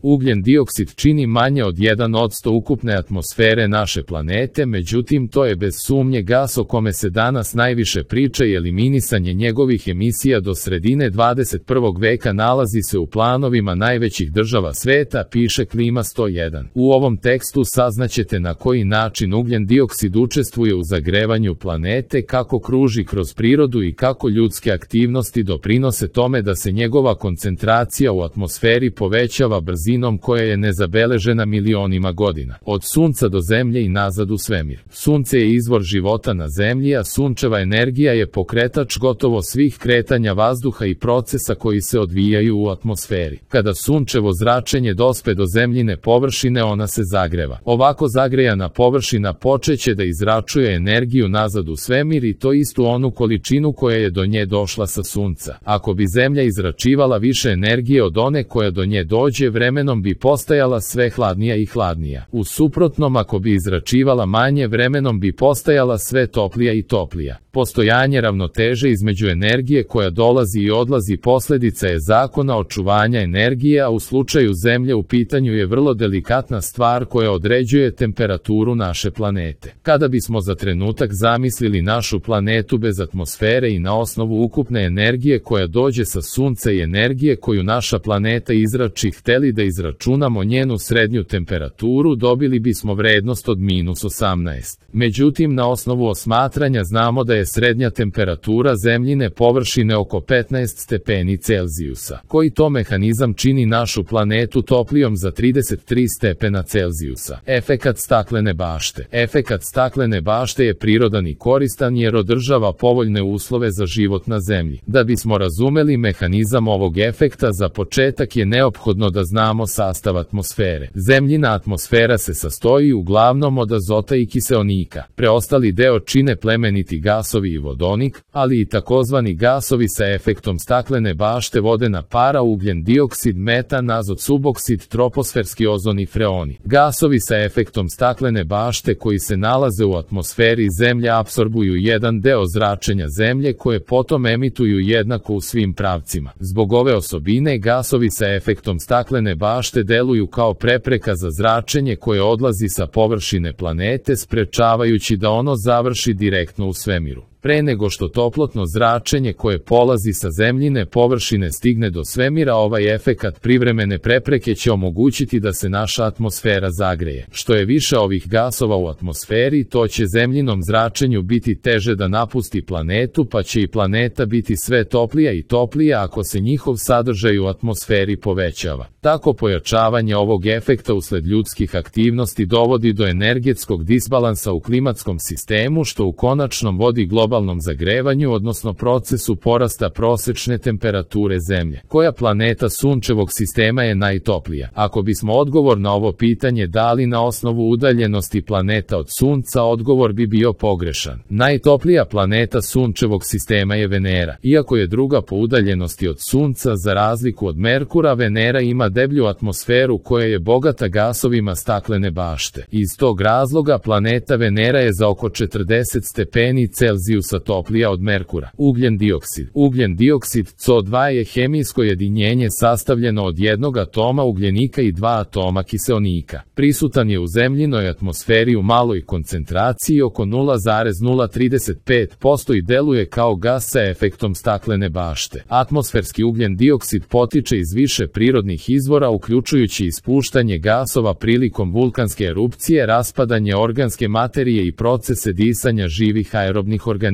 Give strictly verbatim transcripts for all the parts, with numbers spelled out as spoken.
Ugljen dioksid čini manje od jedan posto ukupne atmosfere naše planete, međutim to je bez sumnje gas o kome se danas najviše priča i eliminisanje njegovih emisija do sredine dvadeset prvog veka nalazi se u planovima najvećih država sveta, piše Klima sto jedan. U ovom tekstu saznaćete na koji način ugljen dioksid učestvuje u zagrevanju planete, kako kruži kroz prirodu i kako ljudske aktivnosti doprinose tome da se njegova koncentracija u atmosferi povećava brzinom koja je nezabeležena milionima godina. Od Sunca do Zemlje i nazad u svemir. Sunce je izvor života na Zemlji, a sunčeva energija je pokretač gotovo svih kretanja vazduha i procesa koji se odvijaju u atmosferi. Kada sunčevo zračenje dospe do Zemljine površine, ona se zagreva. Ovako zagrejana površina počeće da izračuje energiju nazad u svemir i to istu onu količinu koja je do nje došla sa Sunca. Ako bi Zemlja izračivala više energije od one koja do nje dođe, vremenom bi postajala sve hladnija i hladnija. U suprotnom, ako bi izračivala manje, vremenom bi postajala sve toplija i toplija. Postojanje ravnoteže između energije koja dolazi i odlazi posljedica je zakona očuvanja energije, a u slučaju Zemlje u pitanju je vrlo delikatna stvar koja određuje temperaturu naše planete. Kada bismo za trenutak zamislili našu planetu bez atmosfere i na osnovu ukupne energije koja dođe sa Sunca i energije koju naša planeta izrači, hteli da izračunamo njenu srednju temperaturu, dobili bismo vrednost od minus osamnaest. Međutim, na osnovu osmatranja znamo da je srednja temperatura Zemljine površine oko petnaest stepeni Celzijusa. Koji to mehanizam čini našu planetu toplijom za trideset tri stepena Celzijusa? Efekat staklene bašte. Efekat staklene bašte je prirodan i koristan jer održava povoljne uslove za život na Zemlji. Da bismo razumeli mehanizam ovog efekta, za početak je neophodno da znamo sastav atmosfere. Zemljina atmosfera se sastoji uglavnom od azota i kiseonika. Preostali deo čine plemeniti gasovi i vodonik, ali i takozvani gasovi sa efektom staklene bašte, vodena para, ugljen dioksid, metan, azot, suboksid, troposferski ozon i freoni. Gasovi sa efektom staklene bašte koji se nalaze u atmosferi Zemlje apsorbuju jedan deo zračenja Zemlje koje potom emituju jednako u svim pravcima. Zbog ove osobine, gasovi sa efektom staklene bašte deluju kao prepreka za zračenje koje odlazi sa površine planete, sprečavajući da ono završi direktno u svemiru. Pre nego što toplotno zračenje koje polazi sa Zemljine površine stigne do svemira, ovaj efekat privremene prepreke će omogućiti da se naša atmosfera zagreje. Što je više ovih gasova u atmosferi, to će Zemljinom zračenju biti teže da napusti planetu, pa će i planeta biti sve toplija i toplija ako se njihov sadržaj u atmosferi povećava. Tako pojačavanje ovog efekta usled ljudskih aktivnosti dovodi do energetskog disbalansa u klimatskom sistemu, što u konačnom vodi globalnom globalnom zagrevanju, odnosno procesu porasta prosečne temperature Zemlje. Koja planeta sunčevog sistema je najtoplija? Ako bismo odgovor na ovo pitanje dali na osnovu udaljenosti planeta od Sunca, odgovor bi bio pogrešan. Najtoplija planeta sunčevog sistema je Venera. Iako je druga po udaljenosti od Sunca, za razliku od Merkura, Venera ima deblju atmosferu koja je bogata gasovima staklene bašte. Iz tog razloga planeta Venera je za oko četrdeset stepeni Celzijusa toplija od Merkura. Ugljen dioksid. Ugljen dioksid C O dva je hemijsko jedinjenje sastavljeno od jednog atoma ugljenika i dva atoma kiseonika. Prisutan je u Zemljinoj atmosferi u maloj koncentraciji oko nula zarez nula trideset pet posto i deluje kao gas sa efektom staklene bašte. Atmosferski ugljen dioksid potiče iz više prirodnih izvora, uključujući ispuštanje gasova prilikom vulkanske erupcije, raspadanje organske materije i procese disanja živih aerobnih organizama.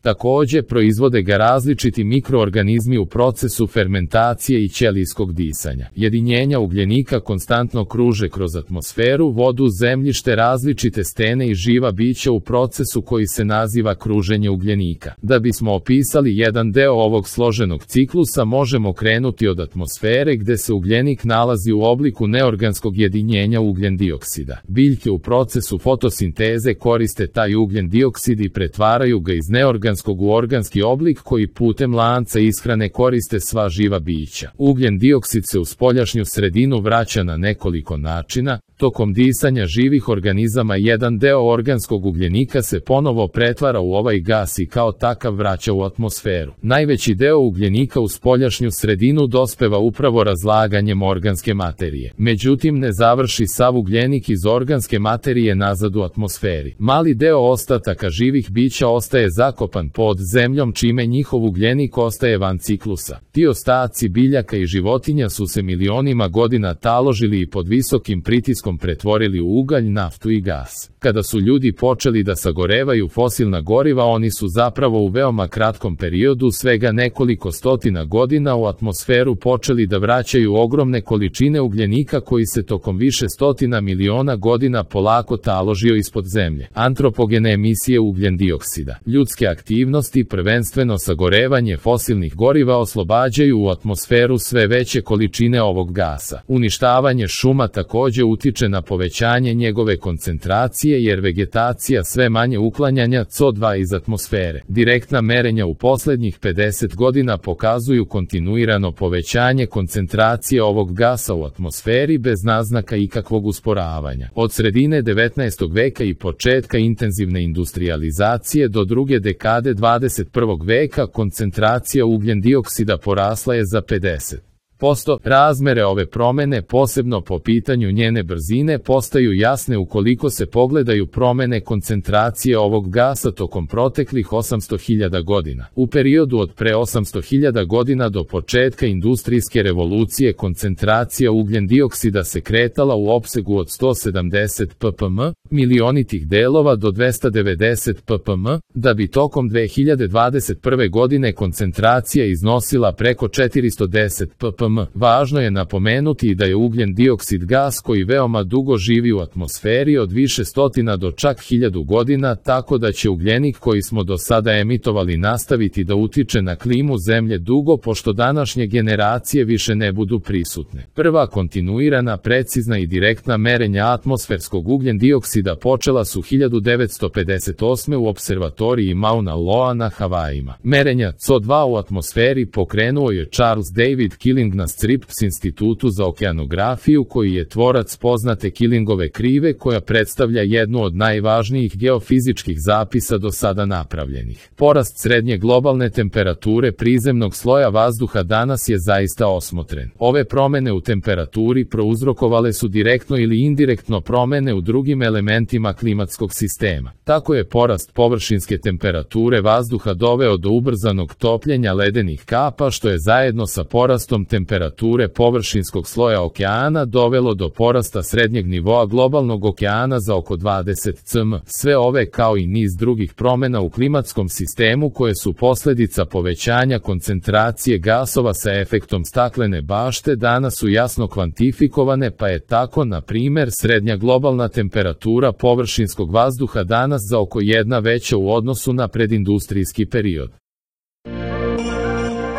Takođe, proizvode ga različiti mikroorganizmi u procesu fermentacije i ćelijskog disanja. Jedinjenja ugljenika konstantno kruže kroz atmosferu, vodu, zemljište, različite stene i živa bića u procesu koji se naziva kruženje ugljenika. Da bismo opisali jedan deo ovog složenog ciklusa, možemo krenuti od atmosfere gde se ugljenik nalazi u obliku neorganskog jedinjenja ugljen dioksida. Biljke u procesu fotosinteze koriste taj ugljen dioksid i pretvaraju ga iz neorganskog u organski oblik koji putem lanca ishrane koriste sva živa bića. Ugljen dioksid se u spoljašnju sredinu vraća na nekoliko načina. Tokom disanja živih organizama jedan deo organskog ugljenika se ponovo pretvara u ovaj gas i kao takav vraća u atmosferu. Najveći deo ugljenika u spoljašnju sredinu dospeva upravo razlaganjem ispuštanjem organske materije. Međutim, ne završi sav ugljenik iz organske materije nazad u atmosferi. Mali deo ostataka živih bića ostaje zakopan pod zemljom, čime njihov ugljenik ostaje van ciklusa. Ti ostaci biljaka i životinja su se milionima godina taložili i pod visokim pritiskom pretvorili u ugalj, naftu i gas. Kada su ljudi počeli da sagorevaju fosilna goriva, oni su zapravo u veoma kratkom periodu, svega nekoliko stotina godina, u atmosferu počeli da vraćaju ogromne količine ugljenika koji se tokom više stotina miliona godina polako taložio ispod zemlje. Antropogene emisije ugljendioksida. Ljudske aktivnosti, prvenstveno sagorevanje fosilnih goriva, oslobađaju u atmosferu sve veće količine ovog gasa. Uništavanje šuma takođe utiče na povećanje njegove koncentracije, jer vegetacija sve manje uklanjanja C O dva iz atmosfere. Direktna merenja u poslednjih pedeset godina pokazuju kontinuirano povećanje koncentracije ovog gasa u atmosferi bez naznaka ikakvog usporavanja. Od sredine devetnaestog veka i početka intenzivne industrijalizacije do druge dekade dvadeset prvog veka koncentracija ugljendioksida porasla je za pedeset posto. Razmere ove promene, posebno po pitanju njene brzine, postaju jasne ukoliko se pogledaju promene koncentracije ovog gasa tokom proteklih osamsto hiljada godina. U periodu od pre osamsto hiljada godina do početka industrijske revolucije koncentracija ugljendioksida se kretala u opsegu od sto sedamdeset ppm, milionitih delova, do dvesta devedeset ppm, da bi tokom dve hiljade dvadeset prve godine koncentracija iznosila preko četiristo deset ppm. Važno je napomenuti i da je ugljen dioksid gas koji veoma dugo živi u atmosferi, od više stotina do čak hiljadu godina, tako da će ugljenik koji smo do sada emitovali nastaviti da utiče na klimu Zemlje dugo pošto današnje generacije više ne budu prisutne. Prva kontinuirana, precizna i direktna merenja atmosferskog ugljen dioksida počela su hiljadu devetsto pedeset osme u observatoriji Mauna Loa na Havajima. Merenja C O dva u atmosferi pokrenuo je Charles David Killing na Scripps institutu za okeanografiju, koji je tvorac poznate Killingove krive, koja predstavlja jednu od najvažnijih geofizičkih zapisa do sada napravljenih. Porast srednje globalne temperature prizemnog sloja vazduha danas je zaista osmotren. Ove promene u temperaturi prouzrokovale su direktno ili indirektno promene u drugim elementima klimatskog sistema. Tako je porast površinske temperature vazduha doveo do ubrzanog topljenja ledenih kapa, što je zajedno sa porastom temperature površinskog sloja okeana dovelo do porasta srednjeg nivoa globalnog okeana za oko dvadeset centimetara. Sve ove, kao i niz drugih promena u klimatskom sistemu koje su posledica povećanja koncentracije gasova sa efektom staklene bašte, danas su jasno kvantifikovane, pa je tako, na primer, srednja globalna temperatura površinskog vazduha danas za oko jedna veća u odnosu na predindustrijski period.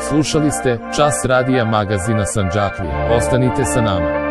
Slušali ste Čas radija magazina Sandžaklija. Ostanite sa nama.